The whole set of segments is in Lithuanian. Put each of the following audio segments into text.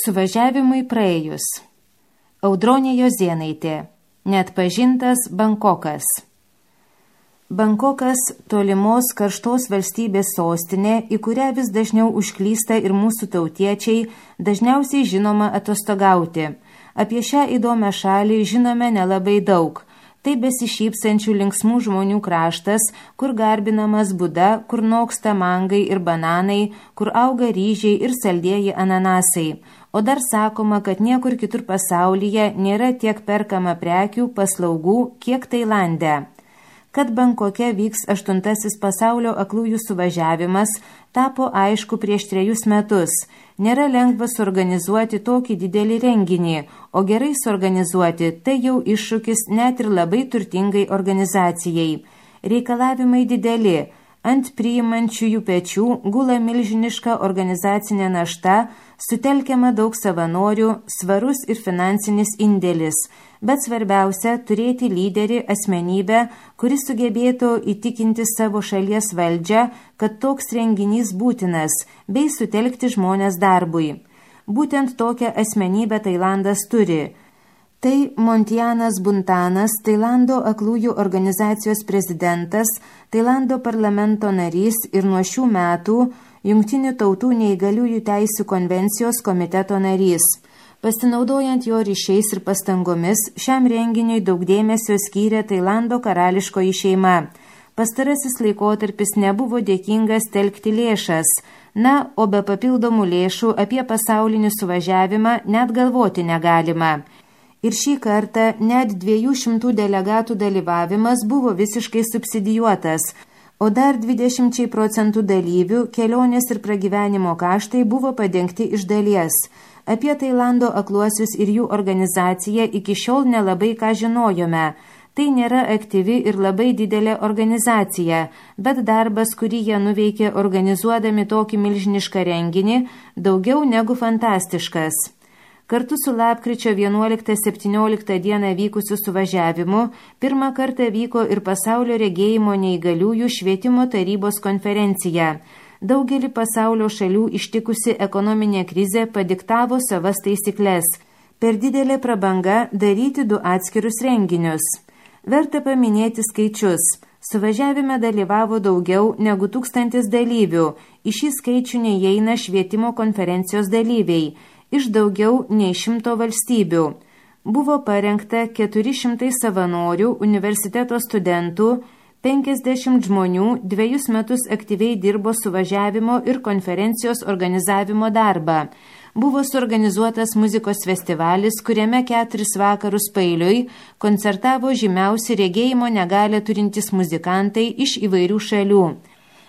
Suvažiavimui praėjus. Audronė Jozėnaitė. Neatpažintas Bankokas. Bankokas – tolimos karštos valstybės sostinė, į kurią vis dažniau užklysta ir mūsų tautiečiai, dažniausiai žinoma atostogauti. Apie šią įdomią šalį žinome nelabai daug. Tai besišypsančių linksmų žmonių kraštas, kur garbinamas Buda, kur noksta mangai ir bananai, kur auga ryžiai ir saldieji ananasai. O dar sakoma, kad niekur kitur pasaulyje nėra tiek perkama prekių, paslaugų, kiek Tailande. Kad Bankoke vyks 8. pasaulio aklųjų suvažiavimas, tapo aišku prieš 3 metus. Nėra lengva suorganizuoti tokį didelį renginį, o gerai suorganizuoti tai jau iššūkis net ir labai turtingai organizacijai. Reikalavimai dideli, ant priimančiųjų pečių gula milžiniška organizacinė našta, sutelkiama daug savanorių, svarus ir finansinis indėlis. Bet svarbiausia – turėti lyderį, asmenybę, kuris sugebėtų įtikinti savo šalies valdžią, kad toks renginys būtinas, bei sutelkti žmonės darbui. Būtent tokią asmenybę Tailandas turi. Tai Montianas Buntanas, Tailando aklųjų organizacijos prezidentas, Tailando parlamento narys ir nuo šių metų Jungtinių tautų neįgaliųjų teisių konvencijos komiteto narys. Pasinaudojant jo ryšiais ir pastangomis, šiam renginiui daug dėmesio skyrė Tailando karališkoji šeima. Pastarasis laikotarpis nebuvo dėkingas telkti lėšas. Na, o be papildomų lėšų apie pasaulinį suvažiavimą net galvoti negalima. Ir šį kartą net 200 delegatų dalyvavimas buvo visiškai subsidijuotas, o dar 20% dalyvių kelionės ir pragyvenimo kaštai buvo padengti iš dalies. Apie Tailando akluosius ir jų organizaciją iki šiol nelabai ką žinojome. Tai nėra aktyvi ir labai didelė organizacija, bet darbas, kurį jie nuveikė organizuodami tokį milžinišką renginį, daugiau negu fantastiškas. Kartu su lapkričio 11-17 dieną vykusiu suvažiavimu pirmą kartą vyko ir pasaulio regėjimo neįgaliųjų švietimo tarybos konferencija. Daugelį pasaulio šalių ištikusi ekonominė krizė padiktavo savas taisyklės. Per didelė prabanga daryti 2 atskirus renginius. Verta paminėti skaičius. Suvažiavime dalyvavo daugiau negu 1000 dalyvių. Į šį skaičių neįeina švietimo konferencijos dalyviai. Iš daugiau nei 100 valstybių. Buvo parengta 400 savanorių, universiteto studentų, 50 žmonių 2 metus aktyviai dirbo suvažiavimo ir konferencijos organizavimo darbą. Buvo suorganizuotas muzikos festivalis, kuriame 4 vakarus paeiliui koncertavo žymiausi regėjimo negalią turintys muzikantai iš įvairių šalių.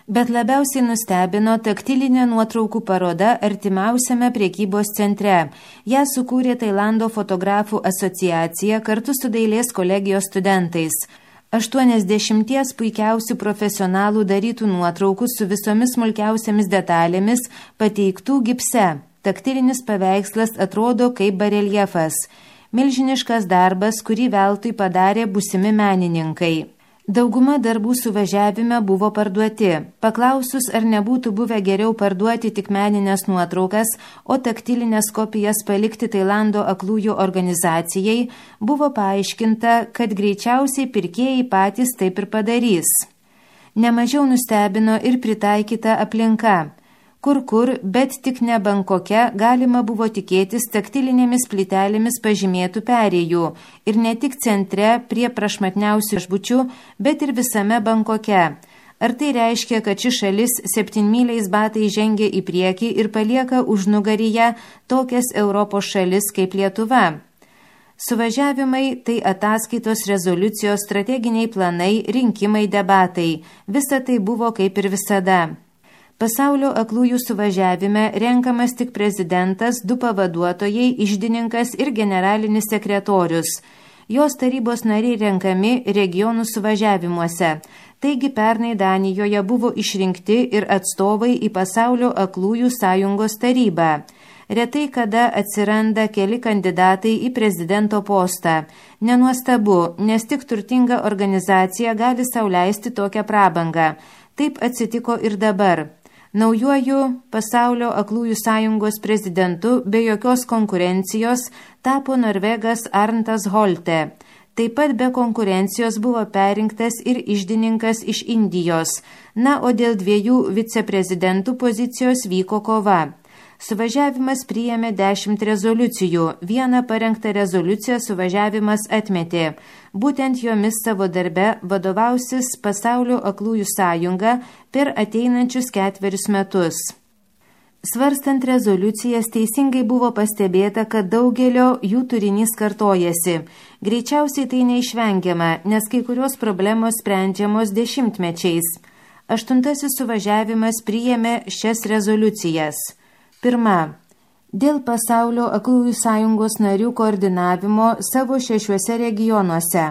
Bet labiausiai nustebino taktilinė nuotraukų paroda artimiausiame prekybos centre. Ją sukūrė Tailando fotografų asociacija kartu su dailės kolegijos studentais. 80 puikiausių profesionalų darytų nuotraukų su visomis smulkiausiamis detalėmis pateiktų gipse. Taktilinis paveikslas atrodo kaip bareljefas. Milžiniškas darbas, kurį veltui padarė būsimi menininkai. Dauguma darbų suvažiavime buvo parduoti. Paklausus, ar nebūtų buvę geriau parduoti tik meninės nuotraukas, o taktilinės kopijas palikti Tailando aklųjų organizacijai, buvo paaiškinta, kad greičiausiai pirkėjai patys taip ir padarys. Nemažiau nustebino ir pritaikyta aplinka. Kur, bet tik ne Bankoke galima buvo tikėtis taktilinėmis plytelėmis pažymėtų perėjų ir ne tik centre prie prašmatniausių viešbučių, bet ir visame Bankoke. Ar tai reiškia, kad ši šalis 7-myliais batais žengia į priekį ir palieka užnugaryje tokias Europos šalis kaip Lietuva? Suvažiavimai – tai ataskaitos, rezoliucijos, strateginiai planai, rinkimai, debatai. Visa tai buvo kaip ir visada. Pasaulio aklųjų suvažiavime renkamas tik prezidentas, 2 pavaduotojai, iždininkas ir generalinis sekretorius. Jos tarybos nariai renkami regionų suvažiavimuose. Taigi pernai Danijoje buvo išrinkti ir atstovai į Pasaulio aklųjų sąjungos tarybą. Retai kada atsiranda keli kandidatai į prezidento postą. Nenuostabu, nes tik turtinga organizacija gali sau leisti tokią prabangą. Taip atsitiko ir dabar. Naujuoju Pasaulio aklųjų sąjungos prezidentu be jokios konkurencijos tapo norvegas Arntas Holte. Taip pat be konkurencijos buvo perinktas ir iždininkas iš Indijos, o dėl 2 viceprezidentų pozicijos vyko kova. Suvažiavimas priėmė 10 rezoliucijų, 1 parengtą rezoliuciją suvažiavimas atmetė. Būtent jomis savo darbe vadovausis Pasaulio aklųjų sąjunga per ateinančius 4 metus. Svarstant rezoliucijas teisingai buvo pastebėta, kad daugelio jų turinys kartojasi. Greičiausiai tai neišvengiama, nes kai kurios problemos sprendžiamos dešimtmečiais. 8 suvažiavimas priėmė šias rezoliucijas. 1. Dėl Pasaulio aklųjų sąjungos narių koordinavimo savo 6 regionuose.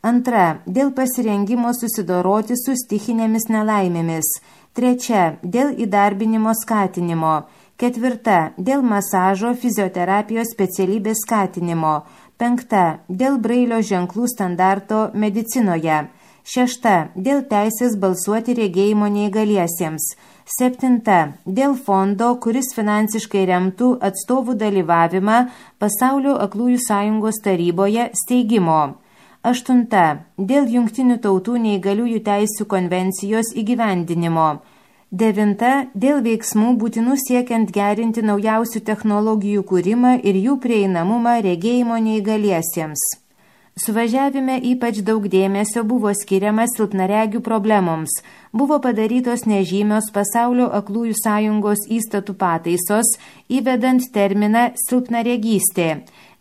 2. Dėl pasirengimo susidoroti su stichinėmis nelaimėmis. 3. Dėl įdarbinimo skatinimo. 4. Dėl masažo fizioterapijos specialybės skatinimo. 5. Dėl brailio ženklų standarto medicinoje. 6. Dėl teisės balsuoti regėjimo neįgaliesiems. 7. Dėl fondo, kuris finansiškai remtų atstovų dalyvavimą Pasaulio aklųjų sąjungos taryboje steigimo. 8. Dėl Jungtinių tautų neįgaliųjų teisių konvencijos įgyvendinimo. 9. Dėl veiksmų būtinų siekiant gerinti naujausių technologijų kūrimą ir jų prieinamumą regėjimo neįgaliesiems. Suvažiavime ypač daug dėmesio buvo skiriama silpnaregių problemoms. Buvo padarytos nežymios Pasaulio aklųjų sąjungos įstatų pataisos, įvedant terminą silpnaregystė.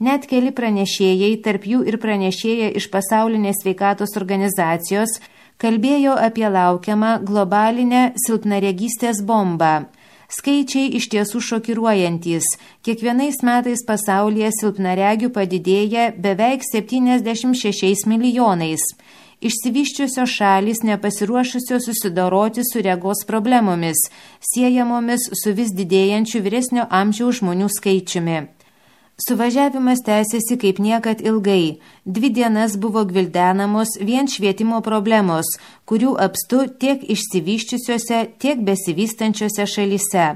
Net keli pranešėjai, tarp jų ir pranešėja iš Pasaulinės sveikatos organizacijos, kalbėjo apie laukiamą globalinę silpnaregystės bombą. Skaičiai iš tiesų šokiruojantys. Kiekvienais metais pasaulyje silpnaregių padidėja beveik 76 milijonais. Išsivysčiusios šalys nepasiruošusios susidoroti su regos problemomis, siejamomis su vis didėjančiu vyresnio amžiaus žmonių skaičiumi. Suvažiavimas tęsėsi kaip niekad ilgai. 2 dienas buvo gvildenamos vien švietimo problemos, kurių apstu tiek išsivysčiusiose, tiek besivystančiose šalyse.